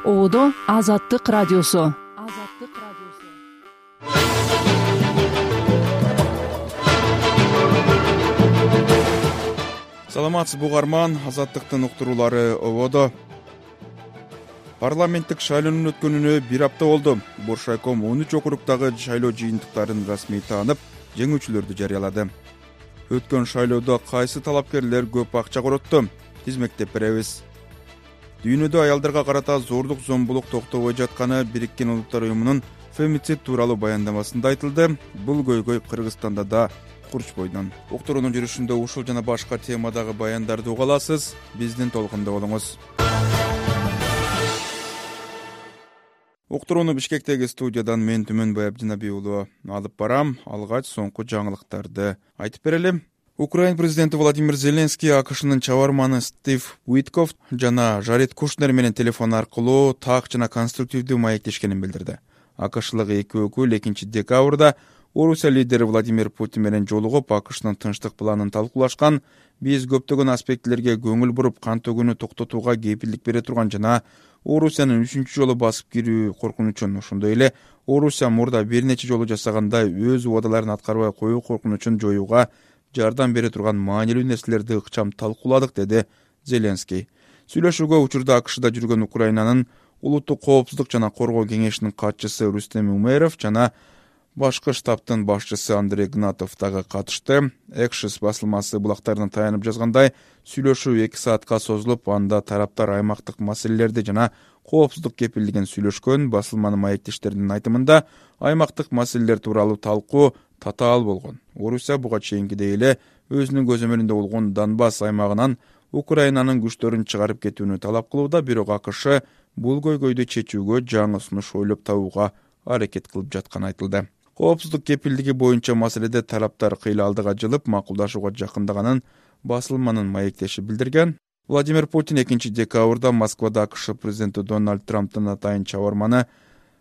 Ободо Азаттык радиосу. Саламатсызбы угарман, Азаттыктын уктуруулары ободо. Парламенттик шайлоонун өткөнүнө бир апта болду. Боршайком 13 округдагы шайлоо жыйынтыктарын расмий таанып, жеңүүчүлөрдү жарыялады. Өткөн шайлоодо кайсы талапкерлер көп акча коротту? Тизмектеп беребиз. Дүйнөдө аялдарга карата зордук зомбулук токтобой жатканы Бириккен Улуттар уюмунун фемицид тууралуу баяндамасында айтылды. Бул көйгөй Кыргызстанда да курч бойдон. Уктуруунун жүрүшүндө ушул жана башка темадагы баяндарды уга аласыз. Биздин толкунда болуңуз. Уктурууну Бишкектеги студиядан мен Түмөнбай Абдинабий уулу алып барам. Алгач соңку жаңылыктарды айтып берели. Украин президенти Владимир Зеленский АКШнын чабарманы Стив Уитков жана Жаред Кушнер менен телефон аркылуу так жана конструктивдүү маектешкенин билдирди. АКШлык эки өкүл 2-декабрда Орусия лидери Владимир Путин менен жолугуп, АКШнын тынчтык планын талкуулашкан. Биз көптөгөн аспектилерге көңүл буруп, кан төгүүнү токтотууга кепилдик бере турган жана Орусиянын 3-чү жолу басып кирүү коркунучун, ошондой эле Орусия мурда бир нече жолу жасагандай өз убадаларын аткарбай коюу коркунучун жоюуга жардам бере турган маанилүү нерселерди ыкчам талкууладык, деди Зеленский. Сүйлөшүүгө учурда АКШда жүргөн Украинанын улуттук коопсуздук жана коргоо кеңешинин катчысы Рустем Умеров жана башкы штабтын башчысы Андрей Гнатов дагы катышты. Экшис басылмасы булактарына таянып жазгандай, сүйлөшүү 2 саатка созулуп, анда тараптар аймактык маселелерди жана коопсуздук кепилдигин сүйлөшкөн. Басылманын маектештеринин айтымында, аймактык маселелер тууралуу талкуу татаал болгон. Орусия буга чейинкидей эле өзүнүн көзөмөлүндө болгон Донбасс аймагынан Украинанын күчтөрүн чыгарып кетүүнү талап кылууда, бирок АКШ бул көйгөйдү чечүүгө жаңы сунуш ойлоп табууга аракет кылып жатканы айтылды. Коопсуздук кепилдиги боюнча маселеде тараптар кыйла-алдыга жылып, макулдашууга жакындаганын басылманын маектеши билдирген. Владимир Путин 2-декабрда Москвада АКШ президенти Дональд Трамптын атайын чабарманы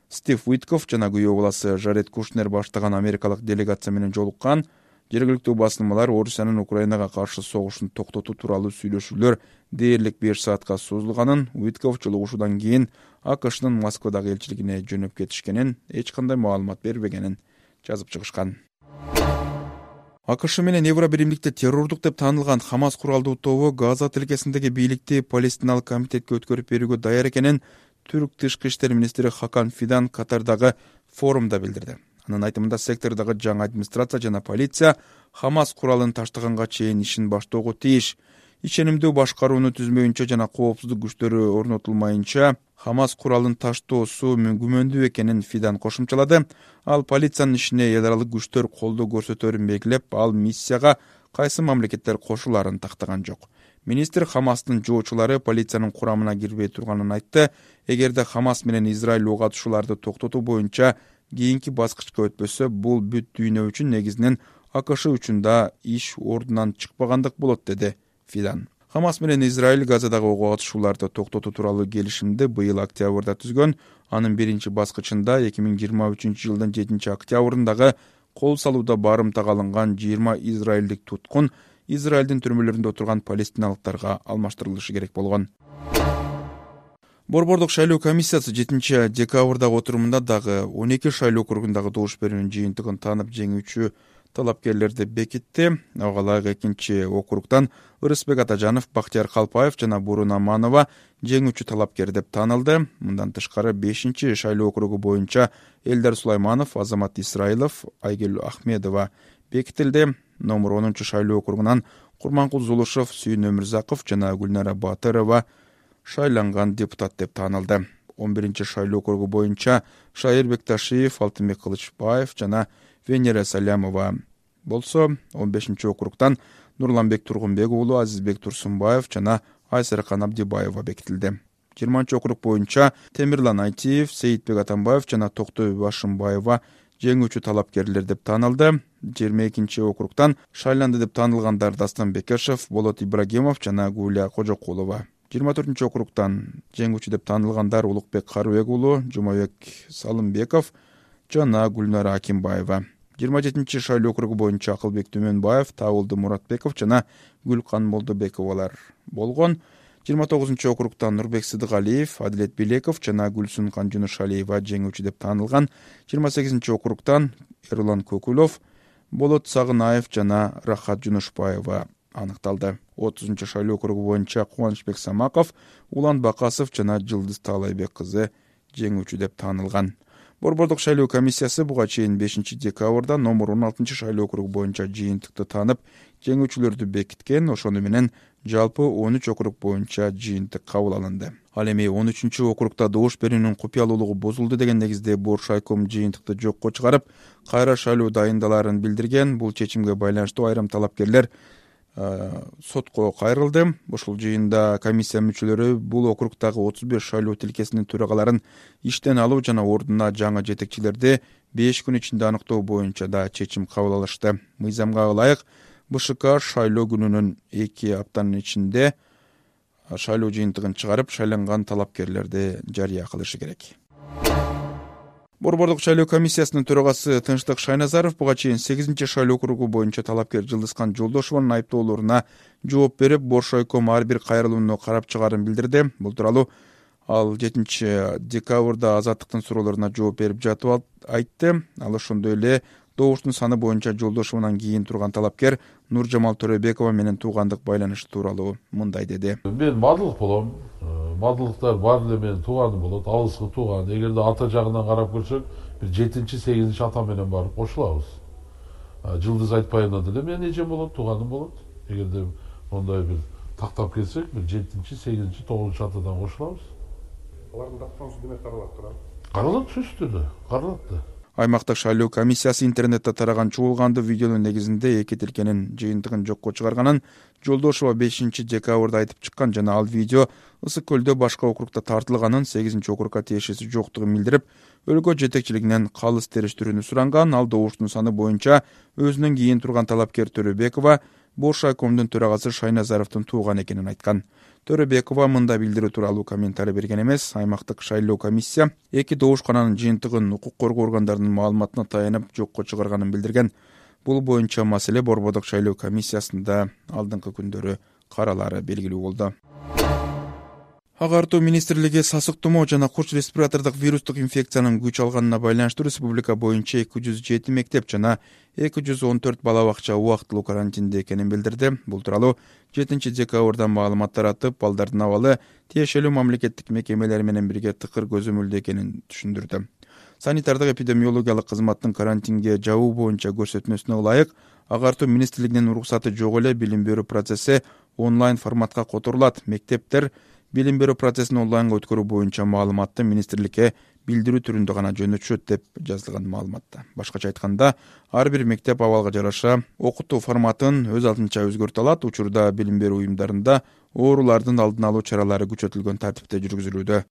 Стив Уитков жана күйөө баласы Жаред Кушнер баштаган америкалык делегация менен жолуккан. Жергиликтүү басылмалар Орусиянын Украинага каршы согушун токтотуу тууралуу сүйлөшүүлөр дээрлик 5 саатка созулганын, Уитков жолугушуудан кийин АКШнын Москвадагы элчилигине жөнөп кетишкенин, эч кандай маалымат бербегенин жазып чыгышкан. АКШ менен Евро биримдикте террордук деп таанылган Хамас куралдуу тобу Газа тилкесиндеги бийликти Палестиналык комитетке өткөрүп берүүгө даяр экенин Түрк тышкы иштер министри Хакан Фидан Катардагы форумда билдирди. Анын айтымында, сектордагы жаңы администрация жана полиция Хамас куралын таштаганга чейин ишин баштоого тийиш. Ишенимдүү башкарууну түзмөйүнчө жана коопсуздук күчтөрү орнотулмайынча Хамас куралын таштоосу күмөндүү экенин Фидан кошумчалады. Ал полициянын ишине эл аралык күчтөр колдоо көрсөтөрүн белгилеп, ал миссияга кайсы мамлекеттер кошулаарын тактаган жок. Министр Хамастын жоочулары полициянын курамына кирбей турганын айтты. Эгерде Хамас менен Израиль ок атышууларды токтотуу боюнча кийинки баскычка өтпөсө, бул бүт дүйнө үчүн, негизинен АКШ үчүн да иш ордунан чыкпагандык болот, деди Фидан. Хамас менен Израиль Газадагы ок атышууларды токтотуу тууралуу келишимди быйыл октябрда түзгөн. Анын биринчи баскычында 2023 жылдын 7 октябрындагы кол салууда барымтага алынган 20 израилдик туткун Израилдин түрмөлөрүндө отурган палестиналыктарга алмаштырылышы керек болгон. Борбордук шайлоо комиссиясы 7-декабрдагы отурумунда дагы 12 шайлоо округундагы добуш берүүнүн жыйынтыгын таанып, жеңүүчү талапкерлерди бекитти. Ага ылайык 2-округдан Ырысбек Атажанов, Бактияр Калпаев жана Бурун Аманова жеңүүчү талапкер деп таанылды. Мындан тышкары 5-шайлоо округу боюнча Элдар Сулайманов, Азамат Исраилов, Айгүл Ахмедова бекитилди. Номер 10-шайлоо округунан Курманкул Зулушев, Сүйүн Өмүрзаков жана Гүлнара Батырова шайланган депутат деп таанылды. 11-шайлоо округу боюнча Шайыр Бекташиев, Алтынбек Кылычбаев жана Венера Салямова болсо, 15-округдан Нурланбек Тургунбек уулу, Азизбек Турсунбаев жана Айсаркан Абдибаева бекитилди. 20-округ боюнча Темирлан Айтиев, Сейитбек Атамбаев жана Токтой Башымбаева жеңүүчү талапкерлер деп таанылды. 22-округдан шайланды деп таанылгандар Дастан Бекешев, Болот Ибрагимов жана Гулия Кожокулова. 24-округдан жеңүүчү деп таанылгандар Улукбек Карыбек уулу, Жумабек Салымбеков жана Гүлнара Акимбаева. 27-шайлоо округу боюнча Акылбек Түмөнбаев, Табылды Муратбеков жана Гүлкан Молдобековалар болгон. 29-округтан Нурбек Сыдыгалиев, Адилет Билеков жана Гүлсүн Канжунушалиева жеңүүчү деп таанылган. 28-округтан Эрлан Көкүлов, Болот Сагынаев жана Рахат Жунушбаева аныкталды. 30-шайлоо округу боюнча Кубанычбек Самаков, Улан Бакасов жана Жылдыз Таалайбек кызы жеңүүчү деп таанылган. Борбордук шайлоо комиссиясы буга чейин 5-декабрда номер 16-шайлоо округу боюнча жыйынтыкты таанып, жеңүүчүлөрдү бекиткен. Ошону менен жалпы 13 округ боюнча жыйынтык кабыл алынды. Ал эми 13-округда добуш берүүнүн купуялуулугу бузулду деген негизде Боршайком жыйынтыкты жокко чыгарып, кайра шайлоо дайындаларын билдирген. Бул чечимге байланыштуу айрым талапкерлер сотко кайрылды. Ушул жыйында комиссия мүчөлөрү бул округдагы 35 шайлоо тилкесинин төрагаларын иштен алуу жана ордуна жаңы жетекчилерди 5 күн ичинде аныктоо боюнча да чечим кабыл алышты. Мыйзамга ылайык БШК шайлоо күнүнүн 2 аптанын ичинде шайлоо жыйынтыгын чыгарып, шайланган талапкерлерди жарыя кылышы керек. Борбордук шайлоо комиссиясынын төрагасы Тынчтык Шайназаров буга чейин 8-шайлоо округу боюнча талапкер Жылдызкан Жолдошованын айыптоолоруна жооп берип, Боршайком ар бир кайрылууну карап чыгаарын билдирди. Бул тууралуу ал 7-декабрда Азаттыктын суроолоруна жооп берип жатып айтты. Ал ошондой эле добуштун саны боюнча Жолдошованан кийин турган талапкер Нуржамал Төрөбекова менен туугандык байланышы тууралуу мындай деди. Мен мадылык болом. Мадылыктар бар эле менин тууганым болот, алыскы тууган. Эгерде ата жагынан карап көрсөк, бир 7-8 ата менен барып кошулабыз. Жылдыз Айтпаевна деле менин эжем болот, тууганым болот. Эгерде мондай бир тактап келсек, бир 7-8 9 атадан кошулабыз. Алардын даттануусу демек каралат турат. Каралат, сөзсүз түрдө, каралат да. Аймактык шайлоо комиссиясы интернетте тараган чуулгандуу видеонун негизинде эки тилкенин жыйынтыгын жокко чыгарганын Жолдошова 5-декабрда айтып чыккан жана ал видео Ысык көлдө башка округда тартылганын, 8-округга тиешеси жоктугун билдирип, өлкө жетекчилигинен калыс териштирүүнү суранган. Ал добуштун саны боюнча өзүнөн кийин турган талапкер Төрөбекова Боршайкомдун төрагасы Шайназаровдун тууган экенин айткан. Төрөбекова мында билдирүү тууралуу комментарий берген эмес. Аймактык шайлоо комиссия эки добушкананын жыйынтыгын укук коргоо органдарынын маалыматына таянып жокко чыгарганын билдирген. Бул боюнча маселе борбордук шайлоо комиссиясында алдыңкы күндөрү каралары белгилүү болду. Агартуу министрлиги сасык тумоо жана курч респиратордук вирустук инфекциянын күч алганына байланыштуу республика боюнча 207 мектеп жана 214 бала бакча убактылуу карантинде экенин билдирди. Бул тууралуу 7-декабрда маалымат таратып, балдардын абалы тиешелүү мамлекеттик мекемелер менен бирге тыкыр көзөмөлдө экенин түшүндүрдү. Санитардык эпидемиологиялык кызматтын карантинге жабуу боюнча көрсөтмөсүнө ылайык агартуу министрлигинин уруксаты жок эле билим берүү процесси онлайн форматка которулат. Мектептер билим берүү процессин онлайнга өткөрүү боюнча маалыматты министрликке билдирүү түрүндө гана жөнөтүшөт деп жазылган маалыматта. Башкача айтканда, ар бир мектеп абалга жараша окутуу форматын өз алдынча өзгөртө алат. Учурда билим берүү уюмдарында оорулардын алдын алуу чаралары күчөтүлгөн тартипте жүргүзүлүүдө.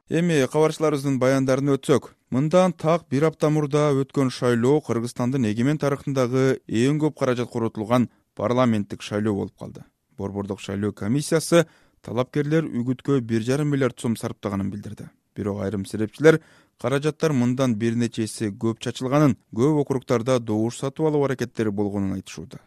Эми кабарчыларыбыздын баяндарын өтсөк, мындан так бир апта мурда өткөн шайлоо Кыргызстандын эгемен тарыхындагы эң көп каражат коротулган парламенттик шайлоо болуп калды. Борбордук шайлоо комиссиясы талапкерлер үгүткө 1,5 миллиард сом сарптаганын билдирди. Бирок айрым серепчилер каражаттар мындан бир нече эсе көп чачылганын, көп округдарда добуш сатып алуу аракеттери болгонун айтышууда.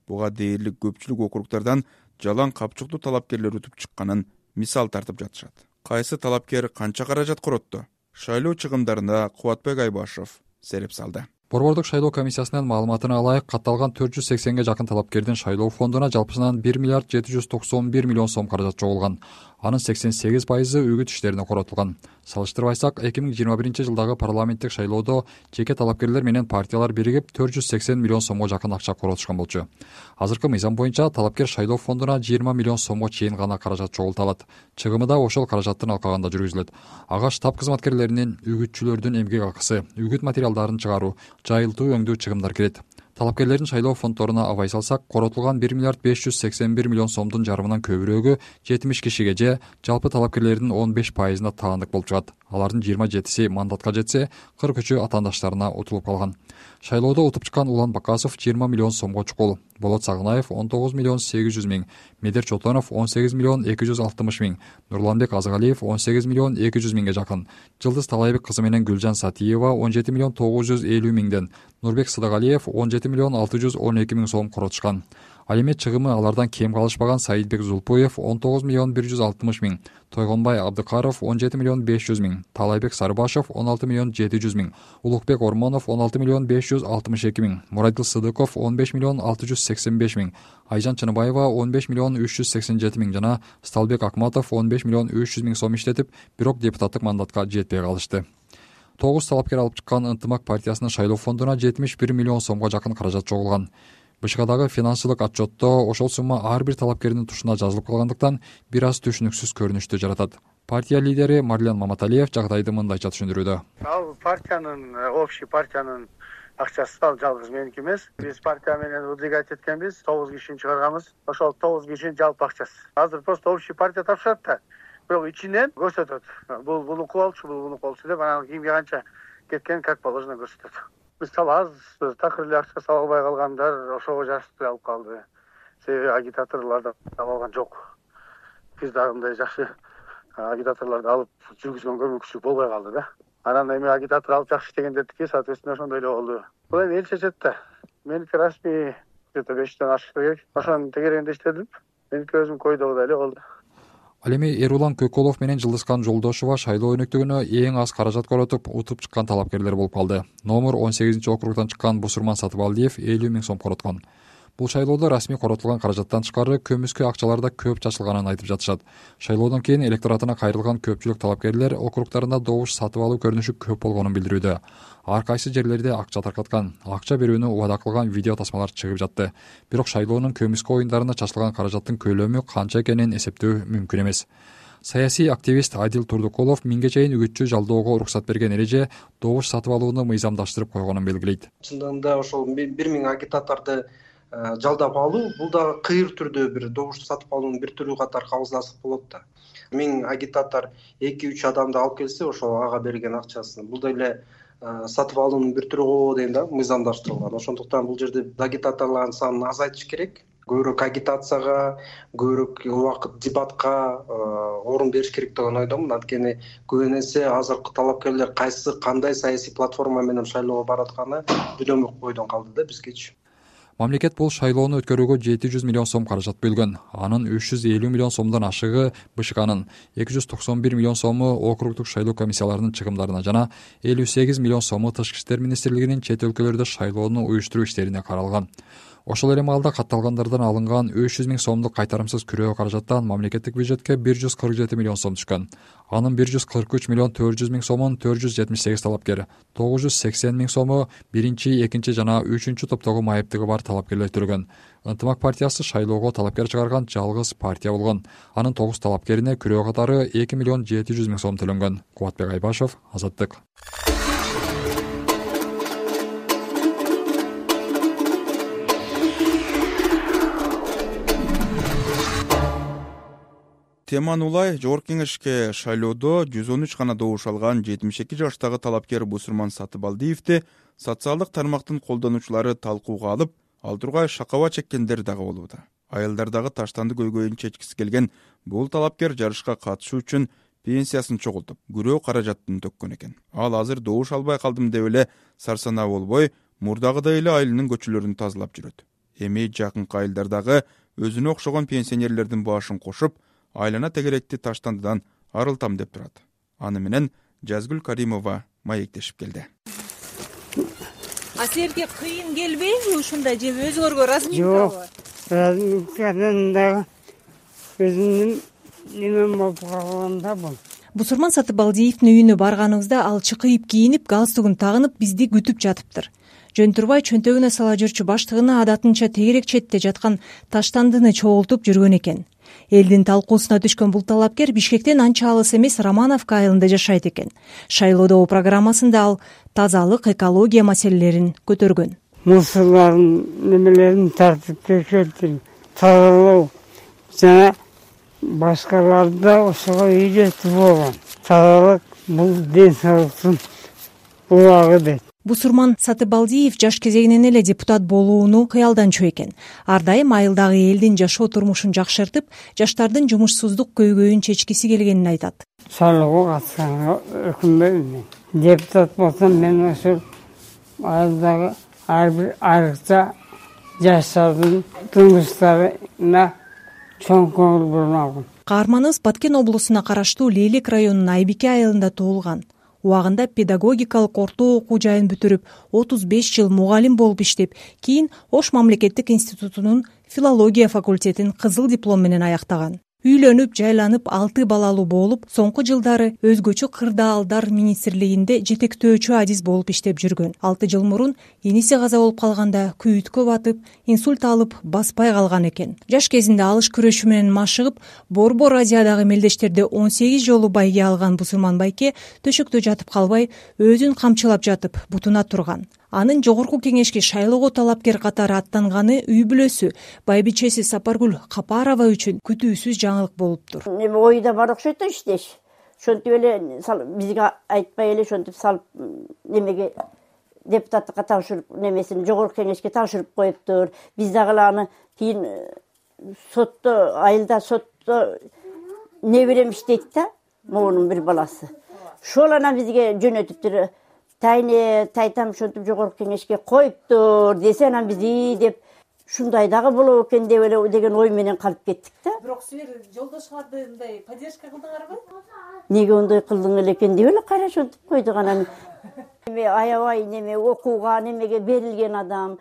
Буга дээрлик көпчүлүк округдардан жалаң капчыктуу талапкерлер өтүп чыкканын мисал тартып жатышат. Кайсы талапкер канча каражат коротту? Шайлоо чыгымдарына Кубатбек Айбашев сереп салды. Борбордук шайлоо комиссиясынын маалыматына ылайык катталган 480ге жакын талапкердин шайлоо фондуна жалпысынан 1 миллиард 791 миллион сом каражат чогулган. Анын 88% үгүт иштерине коротулган. Салыштырбайсак, 2021 жылдагы парламенттик шайлоодо жеке талапкерлер менен партиялар биригип 480 миллион сомго жакын акча коротушкан болчу. Азыркы мыйзам боюнча талапкер шайлоо фондуна 20 миллион сомго чейин гана каражат чогулта алат. Чыгымы да ошол каражаттын алкагында жүргүзүлөт. Ага штаб кызматкерлеринин, үгүтчүлөрдүн эмгек акысы, үгүт материалдарын чыгаруу, жайылтуу өңдүү чыгымдар кирет. Талапкерлердин шайлоо фонддоруна абай салсак, коротулган 1 миллиард 581 миллион сомдун жарымынан көбүрөөгү 70 кишиге же жалпы талапкерлердин 15%-на таандык болуп чыгат. Алардын 27-си мандатка жетсе, 43-ü атаандаштарына утулуп калган. Шайлоодо утуп чыккан Улан Бакасов 20 миллион сомго чукул, Болот Сагынаев 19 миллион 800 миң, Медер Чотонов 18 миллион 260 миң, Нурланбек Азыгалиев 18 миллион 200 миңге жакын, Жылдыз Таалайбек кызы менен Гүлжан Сатиева 17 миллион 950 миңден, Нурбек Сыдыгалиев 17 миллион 612 миң сом коротушкан. Ал эми чыгымы алардан кем калышпаган Саидбек Зулпуев 19 миллион 160 миң, Тойгонбай Абдыкаров 17 миллион 500 миң, Талайбек Сарыбашев 16 миллион 700 миң, Улукбек Ормонов 16 миллион 562 миң, Мурадил Сыдыков 15 миллион 685 миң, Айжан Чыныбаева 15 миллион 387 миң жана Сталбек Акматов 15 миллион 300 миң сом иштетип, бирок депутаттык мандатка жетпей калышты. 9 талапкер алып чыккан Ынтымак партиясынын шайлоо фондуна 71 миллион сомго жакын каражат чогулган. БШКдагы финансылык отчетто ошол сумма ар бир талапкердин тушуна жазылып калгандыктан бир аз түшүнүксүз көрүнүштү жаратат. Партия лидери Марлен Маматалиев жагдайды мындайча түшүндүрүүдө. Ал общий партиянын акчасы ал жалгыз меники эмес. Биз партия менен выдвигать эткенбиз, 9 кишини чыгарганбыз. Ошол 9 кишинин жалпы акчасы. Азыр просто общий партия тапшырат да. Бирок ичинен көрсөтөт. Бул буну кылалчу, бул буну кылчу деп анан кимге канча кеткен как положено көрсөтөт. Мисалы аз такыр эле акча сала албай калгандар ошого жашты алып калды. Себеби агитаторлорду таба алган жок. Биз дагы мындай жакшы агитаторлорду алып жүргүзгөнгө мүмкүнчүлүк болбой калды да. Анан эми агитатор алып жакшы иштегендердики, соответственно, ошондой эле болду. Бул эми эл чечет да. Меники расмий где-то 5-тен ашыш керек. Ошонун тегерегинде иштедим. Меники өзүм койдогудай эле болду. Ал эми Эрулан Көкөлов менен Жылдызкан Жолдошова шайлоо өнөктүгүнө эң аз каражат коротуп, утуп чыккан талапкерлер болуп калды. Номер 18-округдан чыккан Бусурман Сатыбалдиев 50 миң сом короткон. Бул шайлоодо расмий коротулган каражаттан тышкары көмүскө акчаларда көп чачылганын айтып жатышат. Шайлоодон кийин электоратына кайрылган көпчүлүк талапкерлер округдарында добуш сатып алуу көрүнүшү көп болгонун билдирүүдө. Ар кайсы жерлерде акча таркаткан, акча берүүнү убада кылган видео тасмалар чыгып жатты. Бирок шайлоонун көмүскө оюндарына чачылган каражаттын көлөмү канча экенин эсептөө мүмкүн эмес. Саясий активист Адил Турдукулов миңге чейин үгүтчү жалдоого уруксат берген эреже добуш сатып алууну мыйзамдаштырып койгонун белгилейт. Чындыгында ошол 1000 агитаторду жалдап алуу бул дагы кыйыр түрдө бир добуш сатып алуунун бир түрү катары кабыл алсак болот да. 1000 агитатор 2-3 адамды алып келсе, ошол ага берген акчасын бул деле сатып алуунун бир түрү го дейм да, мыйзамдаштырылган. Ошондуктан бул жерде агитаторлордун санын азайтыш керек. Көбүрөөк агитацияга, көбүрөөк убакыт дебатка орун бериш керек деген ойдомун. Анткени көп нерсе азыркы талапкерлер кайсы кандай саясий платформа менен шайлоого баратканы билбөй койдон калды да бизгечи. Мамлекет бул шайлоону өткөрүүгө 700 миллион сом каражат бөлгөн. Анын 350 миллион сомдон ашыгы БШКнын, 291 миллион сому округдук шайлоо комиссияларынын чыгымдарына жана 58 миллион сому Тышкы иштер министрлигинин чет өлкөлөрдө шайлоону уюштуруу иштерине каралган. Ошол эле маалда катталгандардан алынган 300 миң сомдук кайтарымсыз күрөө каражаттан мамлекеттик бюджетке 147 миллион сом түшкөн. Анын 143 миллион 400 миң сомун 478 талапкер, 980 миң сому биринчи, экинчи жана үчүнчү топтогу майыптыгы бар талапкерлер төлөгөн. Ынтымак партиясы шайлоого талапкер чыгарган жалгыз партия болгон. Анын 9 талапкерине күрөө катары 2 миллион 700 миң сом төлөнгөн. Кубатбек Айбашев, Азаттык. Теман улай Жогорку Кеңешке шайлоодо 113 гана добуш алган 72 жаштагы талапкер Бусурман Сатыбалдиевди социалдык тармактын колдонуучулары талкууга алып, ал тургай шакаба чеккендер дагы болууда. Айылдардагы таштанды көйгөйүн чечкиси келген бул талапкер жарышка катышуу үчүн пенсиясын чогултуп, күрөө каражатын төккөн экен. Ал азыр добуш албай калдым деп эле сарсанаа болбой, мурдагыдай эле айылынын көчөлөрүн тазалап жүрөт. Эми жакынкы айылдардагы өзүнө окшогон пенсионерлердин башын кошуп, айлана тегеректи таштандыдан арылтам деп турат. Аны менен Жазгүл Каримова маектешип келди. Силерге кыйын келбейби ушундай же өзгөргө ыраазымынбы? Жок, ыраазымдагы өзүнүн немен болуп калганда бул. Бусурман Сатыбалдиевдин үйүнө барганыбызда ал чыкыйып кийинип, галстугун тагынып бизди күтүп жатыптыр. Жөнтурбай чөнтөгүнө сала жүрчү баштыгына адатынча тегерек четте жаткан таштандыны чогултуп жүргөн экен. Элдин талкуусуна түшкөн бул талапкер Бишкектен анча алыс эмес Романовка айылында жашайт экен. Шайлоодо программасында ал тазалык, экология маселелерин көтөргөн. Мусорлардын немелерин тартып текшертип, тазалоо жана башкаларды ошого үйрөтүп болгон. Тазалык бул ден соолуктун убагы дейт. Бусурман Сатыбалдиев жаш кезегинен эле депутат болууну кыялданчу экен. Ар дайым айылдагы элдин жашоо турмушун жакшыртып, жаштардын жумушсуздук көйгөйүн чечкиси келгенин айтат. Шайлоого катышканга өкүнбөйм. Депутат болсом мен ошол айылдагы ар бир айрыкча жаштардын турмуштарына чоң көңүл бурмагын. Каарманыбыз Баткен облусуна караштуу Лейлек районунун Айбике айылында туулган. Убагында педагогикалык орто окуу жайын бүтүрүп, 35 жыл мугалим болуп иштеп, кийин Ош мамлекеттик институтунун филология факультетин кызыл диплом менен аяктаган. Үйлөнүп, жайланып, 6 балалуу болуп, соңку жылдары өзгөчө кырдаалдар министрлигинде жетектөөчү адис болуп иштеп жүргөн. 6 жыл мурун эниси каза болуп калганда күйүткө батып, инсульт алып, баспай калган экен. Жаш кезинде алыш күрөшү менен машыгып, Борбор Азиядагы мелдештерде 18 жолу байге алган Бусурман байке төшөктө жатып калбай, өзүн камчылап жатып, бутуна турган. Анын жогорку кеңешке шайлоого талапкер катары аттанганы үй бүлөсү, байбичеси Сапаргүл Капарова үчүн күтүүсүз жаңылык болуптур. Ойда бар окшойт да иштеш. Ошентип эле бизге айтпай эле ошентип салып немеге депутаттыкка тапшырып, немесин жогорку кеңешке тапшырып коюптур. Биз дагы аны кийин сотто, айылда сотто не берем иштейт да, моунун бир баласы. Ошол анан бизге жөнөтүптүр. Тайне тайтам ошентип жогорку кеңешке коюптур десе, анан биз деп ушундай дагы болот экен деп эле деген ой менен калып кеттик да. Бирок силер жолдошуңарды мындай поддержка кылдыңарбы? Неге ондой кылдың элекен деп эле кайра ошентип койдук анан. Аябай неме окууга немеге берилген адам.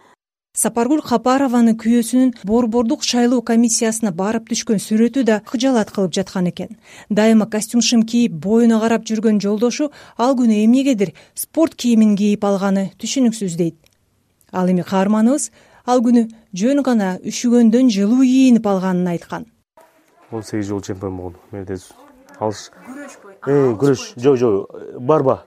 Сапаргүл Капарованын күйөөсүнүн борбордук шайлоо комиссиясына барып түшкөн сүрөтү да кыжаалат кылып жаткан экен. Дайыма костюм-шим кийип, боюна карап жүргөн жолдошу ал күнү эмнегедир спорт кийимин кийип алганы түшүнүксүз дейт. Ал эми каарманыбыз ал күнү жөн гана үшүгөндөн жылуу кийинип алганын айткан. 18 жыл чемпион болду. Алыш. Күрөш. Жок, барба.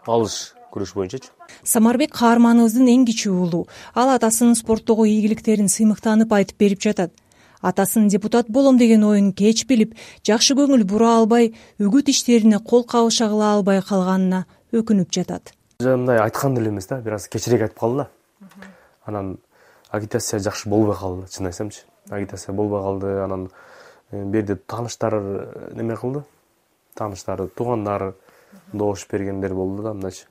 Алыш күрөш боюнчачы. Самарбек каарманыбыздын эң кичүү уулу. Ал атасынын спорттогу ийгиликтерин сыймыктанып айтып берип жатат. Атасынын депутат болом деген оюн кеч билип, жакшы көңүл бура албай, үгүт иштерине кол кабыша кыла албай калганына өкүнүп жатат. Мындай айткан деле эмес да, бир аз кечирээк айтып калды да. Анан агитация жакшы болбой калды, чын айтсамчы. Агитация болбой калды, анан берде тааныштар неме кылды. Тааныштары, туугандар добуш бергендер болду да, мындайчы.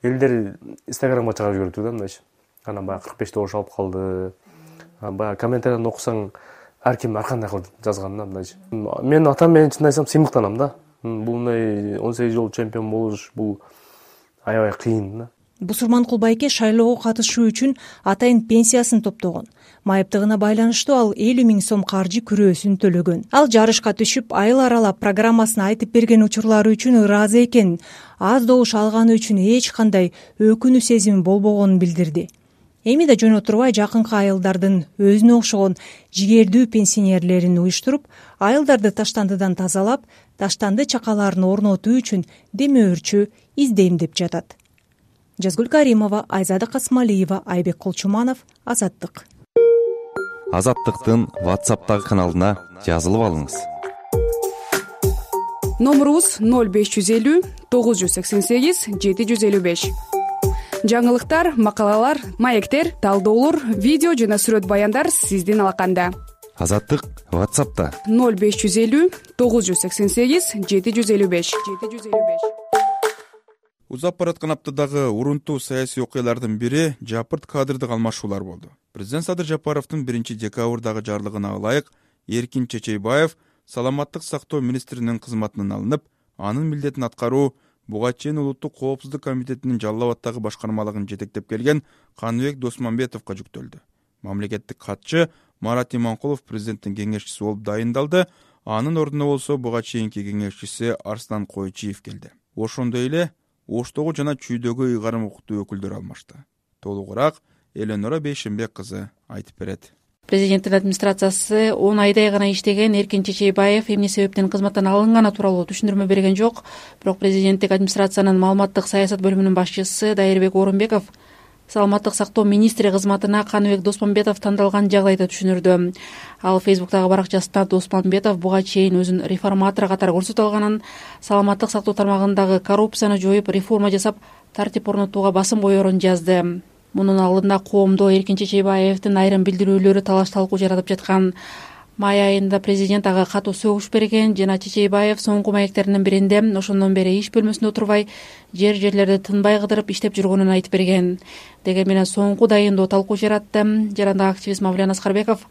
Элдер Инстаграмга чыгарып жибериптир да, мындайчы. Анан баягы 45 добуш алып калды. Баягы комментарияны окусаң, ар ким ар кандай кылып жазган да, мындайчы. Мен атам менен чын айтсам сыймыктанам да. Бул мындай 18 жол чемпион болуш, бул аябай кыйын да. Бусурманкул байке шайлоого катышуу үчүн атайын пенсиясын топтогон. Майыптыгына байланыштуу ал 50 000 сом каржы күрөөсүн төлөгөн. Ал жарышка түшүп, айыл аралап программасын айтып берген учурлары үчүн ыраазы экенин, аз добуш алганы үчүн эч кандай өкүнүү сезими болбогонун билдирди. Эми да жөн отурбай жакынкы айылдардын өзүнө окшогон жигердүү пенсионерлерин уюштуруп, айылдарды таштандыдан тазалап, таштанды чакаларын орнотуу үчүн демөөрчү издейм деп жатат. Жазгүл Каримова, Айзада Касмалиева, Айбек Колчуманов, Азаттык. Азаттыктын WhatsApp'тагы каналына жазылып алыңыз. Номерубуз 0550 988 755. Жаңылыктар, макалалар, маектер, талдоолор, видео жана сүрөт баяндар сиздин алаканда. Азаттык WhatsApp'та 0550 988 755. Узап бараткан аптадагы урунтуу саясий окуялардын бири жапырт кадрдык алмашуулар болду. Президент Садыр Жапаровдун 1-декабрдагы жарлыгына ылайык Эркин Чечейбаев саламаттык сактоо министринин кызматынан алынып, анын милдетин аткаруу буга чейин Улуттук коопсуздук комитетинин Жалал Абаддагы башкармалыгын жетектеп келген Каныбек Досмамбетовго жүктөлдү. Мамлекеттик катчы Марат Иманкулов президенттин кеңешчиси болуп дайындалды. Анын ордуна болсо буга чейинки кеңешчиси Арслан Койчиев келди. Ошондой эле Оштогу жана Чүйдөгү ыйгарым укуктуу өкүлдөр алмашты. Толугураак Эленора Бейшенбек кызы айтып берет. Президенттин администрациясы 10 айдай гана иштеген Эркин Чечейбаев эмне себептен кызматтан алынганы тууралуу түшүндүрмө берген жок. Бирок президенттик администрациянын маалыматтык саясат бөлүмүнүн башчысы Дайырбек Орунбеков саламаттык сактоо министри кызматына Каныбек Досмамбетов тандалган жагдайда түшүнүрдү. Ал Фейсбуктагы баракчасында Досмамбетов буга чейин өзүн реформатор катары көрсөтө алганын, саламаттык сактоо тармагындагы коррупцияны жоюп, реформа жасап, тартип орнотууга басым коерун жазды. Мунун алдында коомдо Эркин Чечейбаевдин айрым билдирүүлөрү талаш-талкуу жаратып жаткан. Май айында президент ага катуу сөгүш берген жана Чечейбаев соңку маектеринин биринде ошондон бери иш бөлмөсүндө отурбай жерлерди тынбай кыдырып иштеп жүргөнүн айтып берген. Деге менен соңку дайындоо талкуу жаратты. Жарандык активист Мавлен Аскарбеков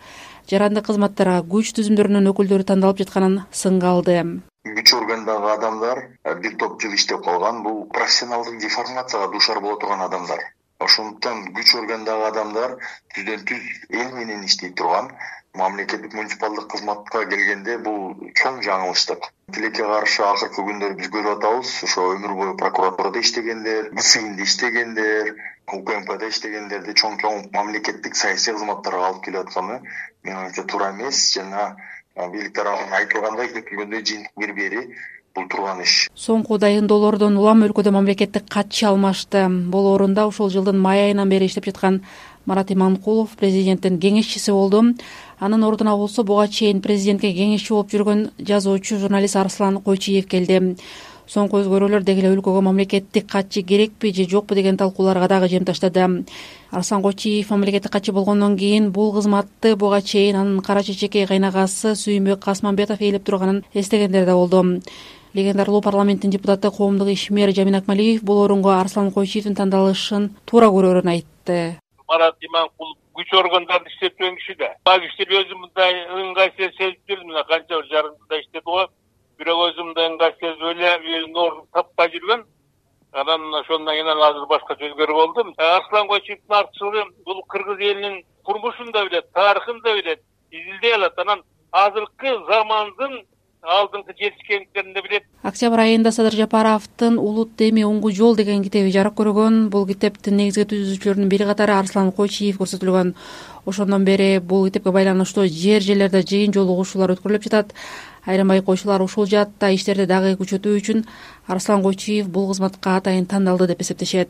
жарандык кызматтарга күч түзүмдөрүнүн өкүлдөрү тандалып жатканын сынга алды. Күч органдагы адамдар бир топ жыл иштеп калган, бул профессионалдык деформацияга дуушар боло турган адамдар. Ошондуктан күч органдагы адамдар түздөн түз эл менен иштей турган, мамлекеттик муниципалдык кызматка келгенде бул чоң жаңылыштык. Тилекке каршы акыркы күндөрү биз көрүп атабыз, ошо өмүр бою прокуратурада иштегендер, ГСИМде иштегендер, УКМКда иштегендерди чоң мамлекеттик саясий кызматтарга алып келип атканы менин оюмча туура эмес жана бийлик тарабынан айтылгандай күтүлгөндөй жыйынтык бербери бул турган иш. Соңку дайындоолордон улам өлкөдө мамлекеттик катчы алмашты. Болоорунда ушул жылдын май айынан бери иштеп жаткан Марат Иманкулов президенттин кеңешчиси болду. Анын ордуна болсо буга чейин президентке кеңешчи болуп жүргөн жазуучу журналист Арслан Койчиев келди. Соңку өзгөрүүлөр деги эле өлкөгө мамлекеттик катчы керекпи же жокпу деген талкууларга дагы жем таштады. Арслан Койчиев мамлекеттик катчы болгондон кийин бул кызматты буга чейин анын кара чечекей кайнагасы Сүйүнбек Касманбетов ээлеп турганын эстегендер да болду. Легендардуу парламенттин депутаты коомдук ишмер Жамин Акмалиев бул орунго Арслан Койчиевдин тандалышын туура көрөрүн айтты. Марат Иманкулов күч органдарында иштеп жүргөн киши да. Бак иштеп өзүм мындай ыңгайсыз сезип жүрдүм, мына канча бир жарым жылда иштеди го. Бирок өзүм мындай ыңгайсыз сезип эле өзүнүн ордун таппай жүргөн. Анан ошондон кийин азыр башкача өзгөрүп болдум. Арслан Койчиевдин артчылыгы бул кыргыз элинин турмушун да билет, тарыхын да билет, изилдей алат. Анан азыркы замандын алдыңкы жетишкендиктерин да билет. Октябрь айында Садыр Жапаровдун Улут Деми оңгу жол деген китеби жарык көргөн. Бул китептин негизги түзүүчүлөрүнүн бири катары Арслан Койчиев көрсөтүлгөн. Ошондон бери бул китепке байланыштуу жерлерде жыйын жолугушуулар өткөрүлүп жатат. Айрым байкоочулар ушул жаатта иштерди дагы күчөтүү үчүн Арслан Койчиев бул кызматка атайын тандалды деп эсептешет.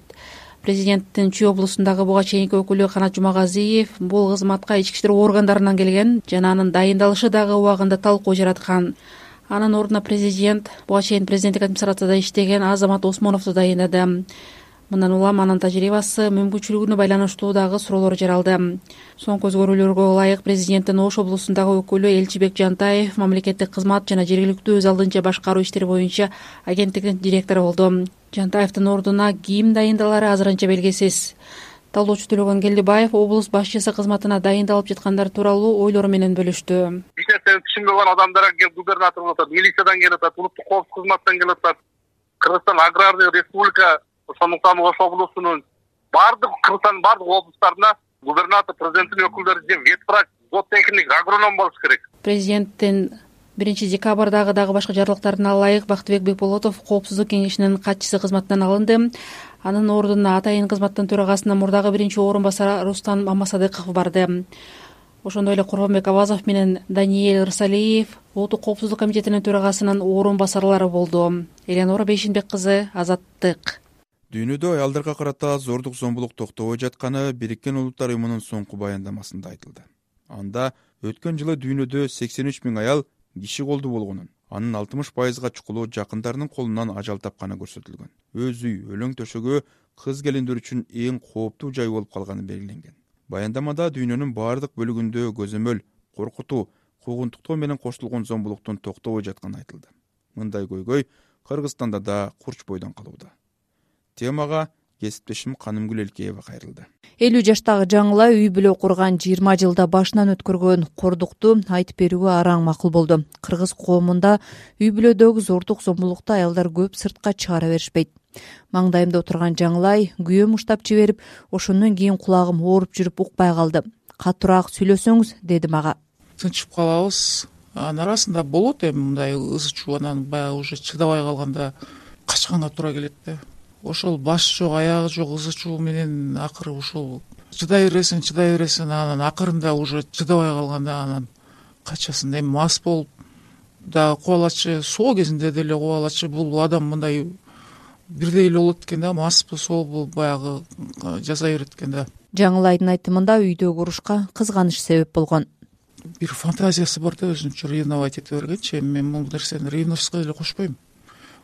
Президенттин Чүй облусундагы буга чейинки өкүлү Канат Жумагазиев бул кызматка ички иштер органдарынан келген жана анын дайындалышы дагы убагында талкуу жараткан. Анын ордуна президент буга чейин президенттик администрацияда иштеген Азамат Осмоновду дайындады. Мындан улам анын тажрыйбасы, мүмкүнчүлүгүнө байланыштуу дагы суроолор жаралды. Соңку өзгөрүүлөргө ылайык президенттин Ош облусундагы өкүлү Элчибек Жантаев мамлекеттик кызмат жана жергиликтүү өз алдынча башкаруу иштери боюнча агенттиктин директору болду. Жантаевдин ордуна ким дайындалары азырынча белгисиз. Талоочу Төлөгөн Келдибаев облус башчысы кызматына дайындалып жаткандар тууралуу ойлору менен бөлүштү. Эч нерсени түшүнбөгөн адамдар келип губернатор болуп атат, милициядан келип атат, улуттук коопсуздук кызматтан келип атат. Кыргызстан аграрный республика, ошондуктан Ош облусунун Кыргызстандын бардык облустарына губернатор, президенттин өкүлдөрү же ветврач, зоотехник, агроном болуш керек. Президенттин 1 декабрдагы дагы башка жарлыктарына ылайык Бактыбек Бекболотов коопсуздук кеңешинин катчысы кызматынан алынды. Анын ордуна атайын кызматтын төрагасына мурдагы 1-орун басары Рустам Мамасадыков барды. Ошондой эле Курбанбек Абазов менен Даниэль Рысалиев Улуттук коопсуздук комитетинин төрагасынын орун басарлары болду. Эленора Бейшинбек кызы, Азаттык. Дүйнөдө аялдарга карата зордук зомбулук токтобой жатканы Бириккен Улуттар уюмунун соңку баяндамасында айтылды. Анда өткөн жылы дүйнөдө 83 000 аял киши колдуу болгонун, анын 60%га чукулу жакындарынын колунан ажал тапканы көрсөтүлгөн. Өз үй, өлөң төшөгү кыз келиндер үчүн эң кооптуу жай болуп калганы белгиленген. Баяндамада дүйнөнүн баардык бөлүгүндө көзөмөл, коркутуу, куугунтуктоо менен коштолгон зомбулуктун токтобой жатканы айтылды. Мындай көйгөй Кыргызстанда да курч бойдон калууда. Темага кесиптешим Канымгүл Элкеева кайрылды. 50 жаштагы жаңыла үй бүлө курган 20 жылда башынан өткөргөн кордукту айтып берүүгө араң макул болду. Кыргыз коомунда үй бүлөдөгү зордук зомбулукту аялдар көп сыртка чыгара беришпейт. Маңдайымда отурган жаңылай күйөөм уштап жиберип, ошондон кийин кулагым ооруп жүрүп укпай калды. Катуураак сүйлөсөңүз, деди мага. Тынчып калабыз. Анын арасында болот эми мындай ызы чуу, анан баягы уже чыдабай калганда качканга туура келет да. Ошол баш жок, аягы жок ызы чуу менен акыры ушул чыдай бересиң, анан акырында уже чыдабай калганда анан качасың. Эми мас болуп дагы кубалачы, соо кезинде деле кубалачы, бул адам мындай бирдей эле болот экен да, маспы, сообу баягы жасай берет экен да. Жаңылайдын айтымында үйдөгү урушка кызганыч себеп болгон. Бир фантазиясы бар да, өзүнчө ревновать эте бергенчи. Мен бул нерсени ревностько деле кошпойм.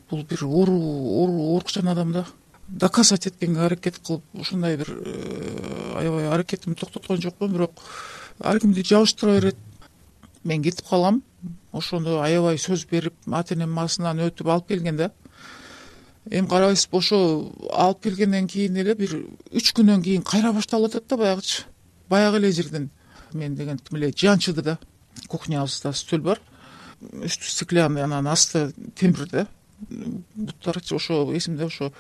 Бул бир оорукчан адам да. Доказать эткенге аракет кылып, ушундай бир аябай аракетимди токтоткон жокмун, бирок ар кимди жабыштыра берет. мен кетип калам. Ошондо аябай сөз берип ата энем басынан өтүп алып келген да. Эми карабайсызбы, ошо алып келгенден кийин эле бир 3 күндөн кийин кайра башталып атат да баягычы. Баягы эле жерден мен деген тим эле жанчыды да. Кухнябызда стөл бар. Үстү стеклянный, анан асты темир да. Буттарчы ошо эсимде, ошо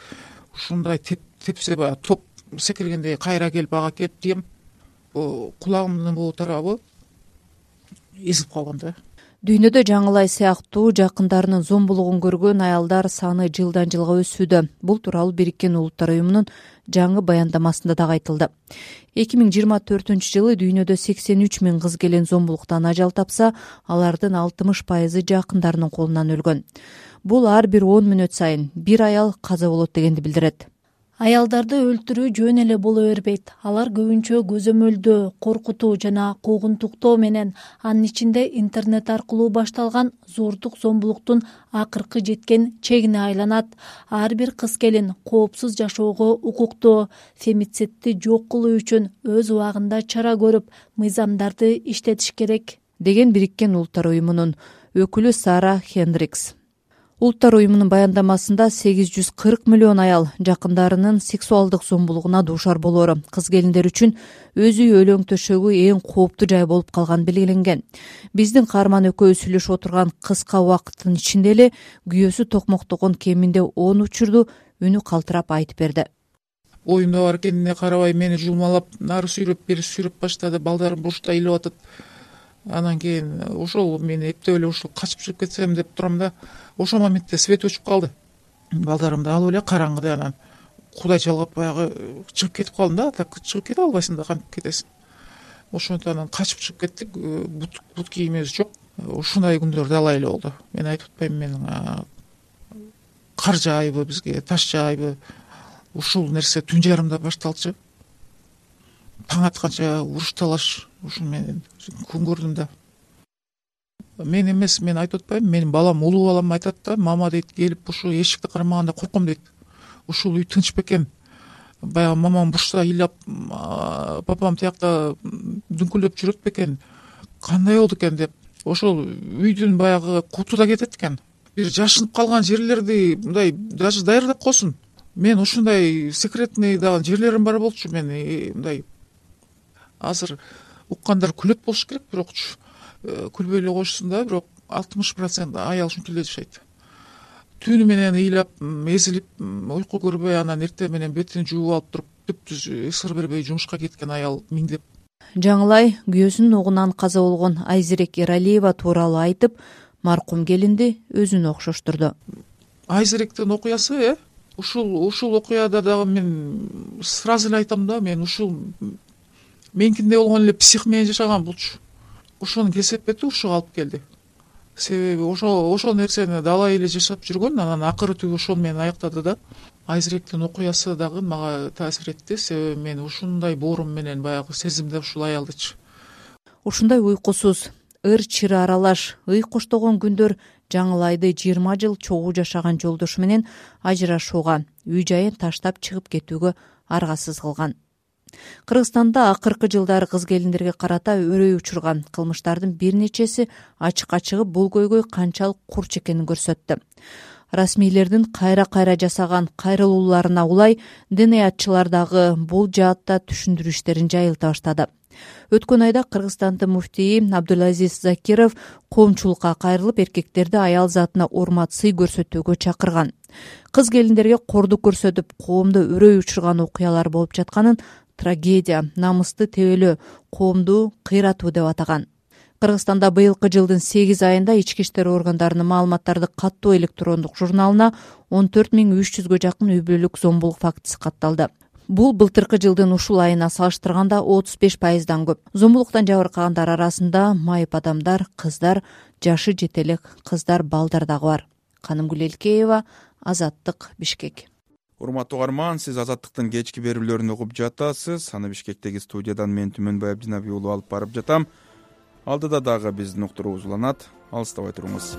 ушундай тепсе баягы топ секиргендей кайра келип ага келип тием. Кулагымдын бул тарабы эзилип калган да. Дүйнөдө Жаңылай сыяктуу жакындарынын зомбулугун көргөн аялдар саны жылдан жылга өсүүдө. Бул тууралуу Бириккен Улуттар уюмунун жаңы баяндамасында дагы айтылды. 2024-жылы дүйнөдө 83 000 кыз келин зомбулуктан ажал тапса, алардын 60% жакындарынын колунан өлгөн. Бул ар бир 10 мүнөт сайын бир аял каза болот дегенди билдирет. Аялдарды өлтүрүү жөн эле боло бербейт. Алар көбүнчө көзөмөлдөө, коркутуу жана куугунтуктоо менен, анын ичинде интернет аркылуу башталган зордук зомбулуктун акыркы жеткен чегине айланат. Ар бир кыз келин коопсуз жашоого укуктуу. Фемицидти жок кылуу үчүн өз убагында чара көрүп, мыйзамдарды иштетиш керек, деген Бириккен Улуттар уюмунун өкүлү Сара Хендрикс. Улуттар уюмунун баяндамасында 840 миллион аял жакындарынын сексуалдык зомбулугуна дуушар болоору, кыз келиндер үчүн өз үй өлөң төшөгү эң кооптуу жай болуп калган белгиленген. Биздин каарман экөө сүйлөшүп отурган кыска убакыттын ичинде эле күйөөсү токмоктогон кеминде 10 учурду үнү калтырап айтып берди. Оюмда бар экенине карабай мени жулмалап, нары сүйрөп, бери сүйрөп баштады. Балдарым бушта илип атат. Анан кийин ошол мен эптеп эле ушул качып чыгып кетсем деп турам да. Ошол моментте свет өчүп калды. Балдарымды алып эле караңгыда анан кудай жалгап баягы чыгып кетип калдым да. Так чыгып кете албайсың да, кантип кетесиң. Ошондо анан качып чыгып кеттик. Бут кийимибиз жок. Ушундай күндөр далай эле болду. Мен айтып атпаймынбы, менин кар жаайбы бизге, таш жаайбы. Ушул нерсе түн жарымда башталчу. Таң атканча уруш талаш ушун менен күн көрдүм да. Мен эмес, мен айтып атпаймынбы, менин балам, улуу балам айтат да, мама дейт, келип ушу эшикти кармаганда корком дейт. Ушул үй тынч бекен. Баягы мамам бушта ыйлап, папам тиякта дүңкүлөп жүрөт бекен. Кандай болду экен деп. Ошол үйдүн баягы куту да кетет экен. Бир жашынып калган жерлерди мындай даже даярдап койсун. Мен ушундай секретный дагы жерлерим бар болчу. Мен мындай азыр уккандар күлөт болуш керек, бирокчу күлбөй эле койшусун да, бирок 60% аял ушинтип эле жашайт. Түнү менен ыйлап, эзилип, уйку көрбөй, анан эртең менен бетин жууп алып туруп, түптүз ысыр бербей жумушка кеткен аял миңдеп. Жаңылай күйөөсүнүн огунан каза болгон Айзирек Эралиева тууралуу айтып, маркум келинди өзүнө окшоштурду. Айзиректин окуясы, ушул окуяда дагы мен сразу эле айтам да, мен ушул меникинде болгон эле псих менен жашаган булчу. Ошонун кесепети ушуга алып келди. Себеби ошол нерсени далай эле жашап жүргөн, анан акыры түгү ошол менен аяктады да. Айзиректин окуясы дагы мага таасир этти, себеби мен ушундай боорум менен баягы сезимде ушул аялдычы. Ушундай уйкусуз, ыр-чыры аралаш, ый коштогон күндөр Жаңылайды 20 жыл чогуу жашаган жолдошу менен ажырашууга, үй жайын таштап чыгып кетүүгө аргасыз кылган. Кыргызстанда акыркы жылдары кыз келиндерге карата өрөй учурган кылмыштардын бир нечеси ачыкка чыгып, бул көйгөй канчалык курч экенин көрсөттү. Расмийлердин кайра жасаган кайрылууларына улай ДНАчылар дагы бул жаатта түшүндүрүү иштерин жайылта баштады. Өткөн айда Кыргызстандын муфтийи Абдулазиз Закиров коомчулукка кайрылып, эркектерди аял затына урмат, сый көрсөтүүгө чакырган. Кыз келиндерге кордук көрсөтүп, коомдо өрөй учурган окуялар болуп жатканын трагедия, намысты тебелөө, коомду кыйратуу деп атаган. Кыргызстанда быйылкы жылдын 8 айында ички иштер органдарынын маалыматтарды каттоо электрондук журналына 14300гө жакын үй бүлөлүк зомбулук фактысы катталды. Бул былтыркы жылдын ушул айына салыштырганда 35%дан көп. Зомбулуктан жабыркагандар арасында майып адамдар, кыздар, жашы жете элек кыздар, балдар дагы бар. Канымгүл Элкеева, Азаттык, Бишкек. Урматтуу угарман, сиз Азаттыктын кечки берүүлөрүн угуп жатасыз. Аны Бишкектеги студиядан мен Түмөнбай Абдинабий уулу алып барып жатам. Алдыда дагы биздин уктуруубуз уланат. Алыстабай туруңуз.